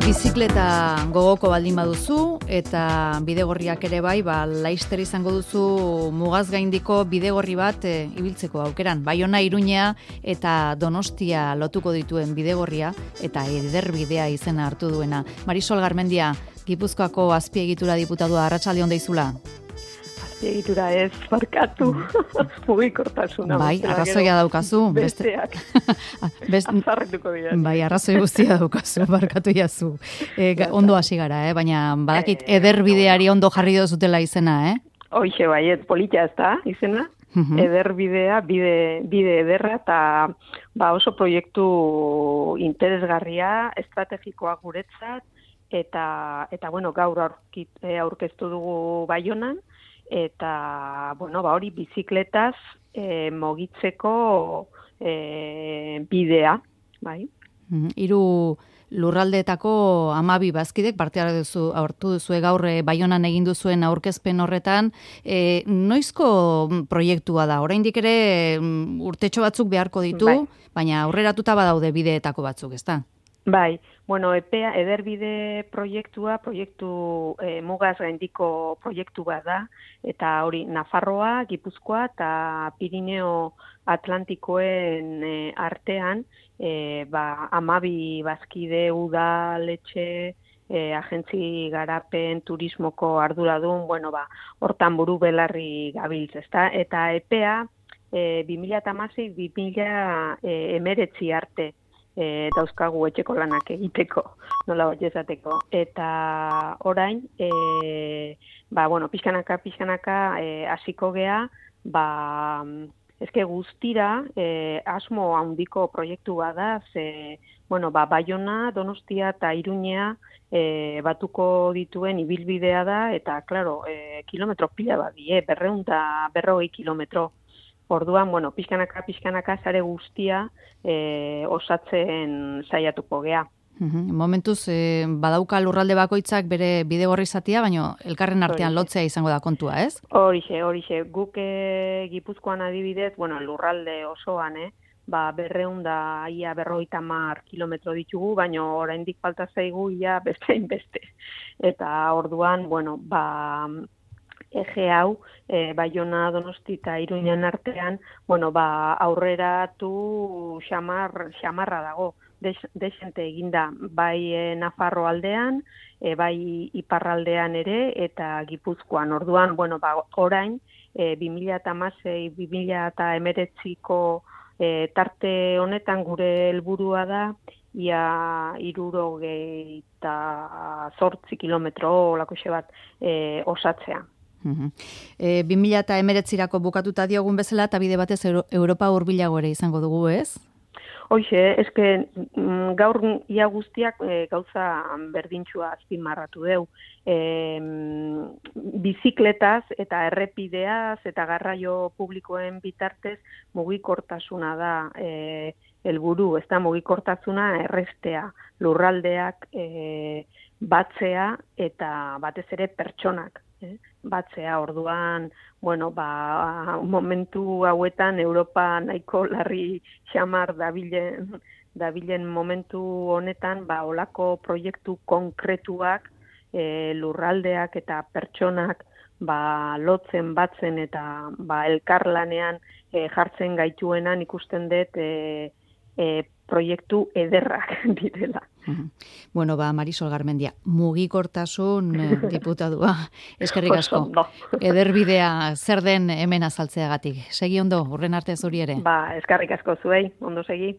Bizikleta gogoko baldin baduzu eta bidegorriak ere bai, laister izango duzu mugaz gaindiko bidegorri bat ibiltzeko aukeran. Baiona, Iruña eta Donostia lotuko dituen bidegorria eta ederbidea izena hartu duena. Marisol Garmendia, Gipuzkoako azpiegitura diputadua, arratsalde on deizula. Egitura ez, barkatu, mugikortasuna. Bai, arrazoia daukazu. Besteak, azarretuko dira. Bai, arrazoi guztia daukazu, barkatu jazu. Ondo hasi gara, baina badakit ederbideari ondo jarri dozutela izena, Hoixe, bai, politia ez da izena. Ederbidea, bide ederra, eta oso proiektu interesgarria, estrategikoa guretzat, eta bueno, gaur aurkeztu dugu Baionan, eta, hori bizikletaz mogitzeko bidea, bai. Hiru lurraldeetako 12 bazkidek parte hartu duzue gaur Baionan egin duzuen aurkezpen horretan. Noizko proiektua da? Oraindik ere urtetxo batzuk beharko ditu, bai. Baina aurreratuta badaude bideetako batzuk, ezta? Bai, EPEA ederbide proiektu mugaz gaindiko proiektu bat da, eta hori Nafarroa, Gipuzkoa eta Pirineo Atlantikoen artean, 12 bazkide udaletxe, agentzi garapen, turismoko arduradun, hortan buru belarri gabiltz, ezta? Eta EPEA 2016-2019 arte, dauzkagu etxeko lanak egiteko, nola bat esateko. Eta orain, pixkanaka hasiko gea, guztira asmo handiko proiektu bada, Baiona, Donostia eta Iruña batuko dituen ibilbidea da, eta, klaro, kilometro pila bat die, 240 kilometro. Orduan, pixkanaka sare guztia osatzen saiatuko gea. Momentuz, badauka lurralde bakoitzak bere bidegorri zatia, baina elkarren artean lotzea izango da kontua, ez? Horixe. Guk Gipuzkoan adibidez, lurralde osoan, 250 kilometro ditugu, baina oraindik falta zaigu ia beste. Eta orduan, ege hau, Baiona, Donosti eta Iruñan artean, aurreratu xamarra dago, desente eginda, bai Nafarro aldean, bai iparraldean ere, eta Gipuzkoan. Orduan, orain, 2016-2019ko tarte honetan gure helburua da, ia 68 kilometro olako bat osatzea. 2019rako bukatuta diogun bezala, eta bide batez Europa hurbilago ere izango dugu, ez? Hoxe, gaur ia guztiak gauza berdintxua azpimarratu deu. Bizikletaz eta errepideaz eta garraio publikoen bitartez mugikortasuna da helburu, ez da mugikortasuna errestea, lurraldeak batzea eta batez ere pertsonak. Batzea, orduan, momentu hauetan Europa nahiko larri xamar dabilen momentu honetan, olako proiektu konkretuak lurraldeak eta pertsonak lotzen, batzen eta elkarlanean jartzen gaituenan ikusten dut proiektu ederrak direla. Marisol Garmendia, mugikortasun diputadua, eskerrik asko. Ederbidea zer den hemen azaltzeagatik. Segi ondo, hurren arte zuri ere. Eskerrik asko zuei, ondo segi.